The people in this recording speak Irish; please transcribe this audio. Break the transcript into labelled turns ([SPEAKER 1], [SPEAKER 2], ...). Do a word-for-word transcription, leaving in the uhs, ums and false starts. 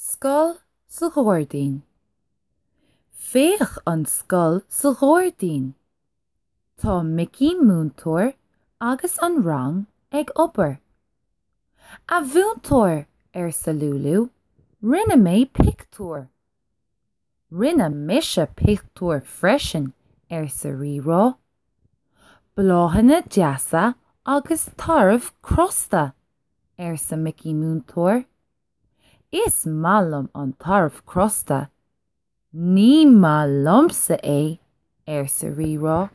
[SPEAKER 1] Scoil sa ghairdín. Féach an scoil sa ghairdín. Tá Micí múinteoir agus an rang ag obair. A mhúinteoir arsa Lúlú, rinne mé pictiúr. Rinne mise pictiúr freisin arsa Rírá. Bláthanna deasa agus tarbh crosta, arsa Micí múinteoir. Is maith liom an tarbh crosta. Ní maith liomsa é, arsa Rírá.